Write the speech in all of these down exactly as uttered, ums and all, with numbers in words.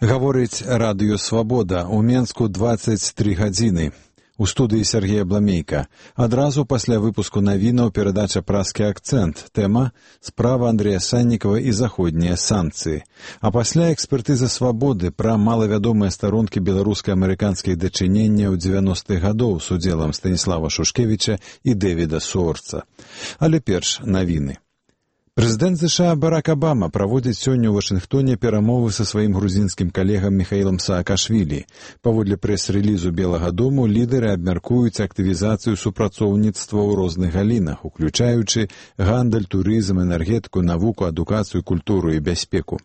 Гаворыць радыё «Свабода». У Менску дваццаць тры гадзіны. У студыі Сергея Бламейка. Адразу пасля выпуску навінаў перадача «Празкі акцэнт». Тэма «Справа Андрэя Саннікава і заходнія санкцыі». А пасля экспертыза «Свабоды» пра малавядомыя старонкі беларуска-амерыканскіх дачыненняў дзевяностых гадоў з удзелам Станіслава Шушкевіча і Дэвіда Суорца. Але перш навіны. Прэзідэнт ЗША Барак Абама праводзіць сёння ў Вашынгтоне перамовы са сваім грузінскім калегам Міхаілам Саакашвілі. Паводле прэс-рэлізу Белага дому лідары абмяркуюць актывізацыю супрацоўніцтва ў розных галінах, уключаючы гандаль, турызм, энергетыку, навуку, адукацыю, культуру і бяспеку.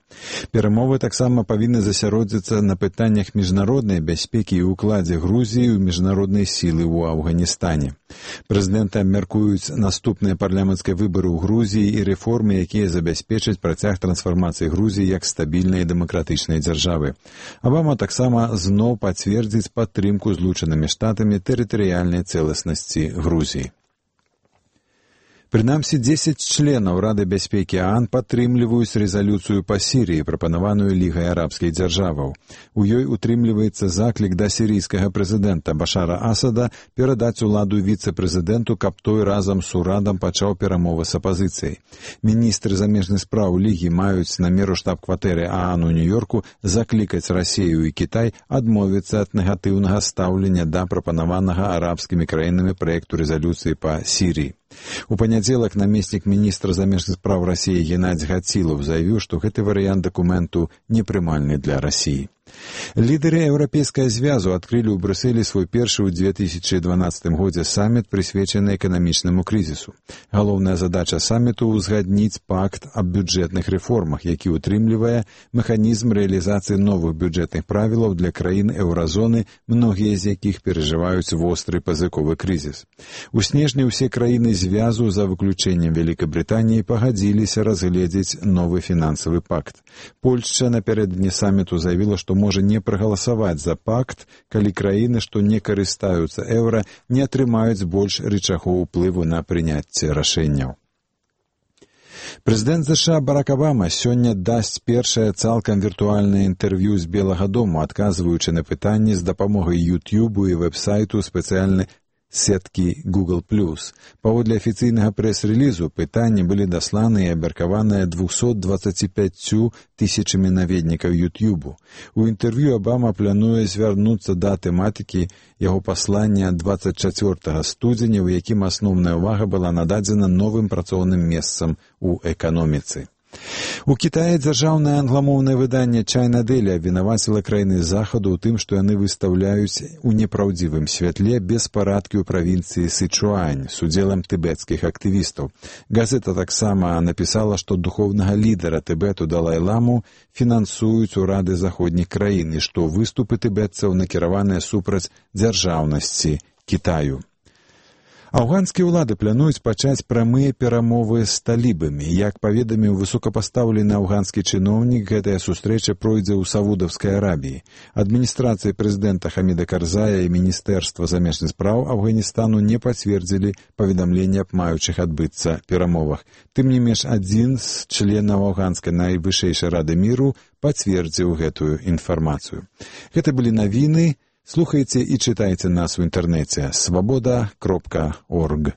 Перамовы таксама павінны засяродзіцца на пытаннях міжнароднай бяспекі і ўкладзе Грузіі ў міжнароднай сілы ў Афганістане. Прэзідэнты абмяркуюць наступныя парламенцкія выбары ў Грузіі і рэформы, якія забяспечаць працяг трансфармацыі Грузіі як стабільнай і дэмакратычнай дзяржавы. Абама таксама зноў пацвердзіць падтрымку Злучанымі Штатамі тэрытарыяльнай цэласнасці Грузіі. Прынамсі, дзесяць членаў Рады бяспекі ААН падтрымліваюць рэзалюцыю па Сірыі, прапанаваную Лігай арабскіх дзяржаваў. У ёй утрымліваецца заклік да сірійскага прэзідэнта Башара Асада перадаць уладу віцэ-прэзідэнту, каб той разам з урадам пачаў перамовы з апазіцыяй. Міністры замежных спраў Лігі маюць намер у штаб-кватэры ААН у Нью-Йорку заклікаць Расію і Кітай адмовіцца ад негатыўнага стаўлення да прапанаванага арабскімі краінамі праекту рэзалюцыі па Сірыі. У панядзелак намеснік міністра замежных спраў Расіі Геннадзь Гацілаў заявіў, што гэты варыянт дакументу непрымальны для Расіі. Лідары Еўрапейскага звязу адкрылі ў Брюсселі свой першы ў две тысячы дванаццатым годзе саміт, прысвечаны эканамічнаму крызісу. Галоўная задача саміту — узгадніць пакт аб бюджэтных рэформах, які ўтрымлівае механізм рэалізацыі новых бюджэтных правілаў для краін еўразоны, многія з якіх перажываюць востры пазыковы крызіс. У снежні ўсе краіны звязу, за выключэннем Вялікай Брытаніі, пагадзіліся разгледзець новы фінансавы пакт. Польшча напярэдадні саміту заявіла, што можа не прагаласаваць за пакт, калі краіны, што не карыстаюцца еўра, не атрымаюць больш рычагоў уплыву на прыняцце рашэнняў. Прэзідэнт ЗША Барак Абама сёння дасць першае цалкам віртуальнае інтэрв'ю з Белага дому, адказваючы на пытанні з дапамогай ютубу і вэб-сайту спецыяльнай сеткі Google плюс. Паводле афіцыйнага прэс-рэлізу пытанні былі дасланы і абмеркаваныя двухсот дваццаці пяццю тысячамі наведнікаў ютубу. У інтэрв'ю Абама плануе звярнуцца да тэматыкі яго паслання дваццаць чацвёртага студзеня, у якім асноўная ўвага была нададзена новым працоўным месцам у эканоміцы. У Кітаі дзяржаўнае англамоўнае выданне China Daily абвінаваціла краіны захаду ў тым, што яны выстаўляюць у непраўдзівым святле беспарадкі ў правінцыі Сычуань з удзелам тыбецкіх актывістаў. Газета таксама напісала, што духоўнага лідара Тыбету Далай-ламу фінансуюць урады заходніх краін і што выступы тыбетцаў накіраваныя супраць дзяржаўнасці Кітаю. Афганскія ўлады плануюць пачаць прамыя перамовы з талібамі. Як паведаміў высокапастаўлены афганскі чыноўнік, гэтая сустрэча пройдзе ў Саудаўскай Арабіі. Адміністрацыя прэзідэнта Хаміда Карзая і Міністэрства замежных спраў Афганістану не пацвердзілі паведамленне аб маючых адбыцца перамовах. Тым не менш, адзін з членаў афганскай найвышэйшай рады міру пацвердзіў гэтую інфармацыю. Гэта былі навіны. Слухайце і чытайце нас у інтэрнэце свабода кропка орг.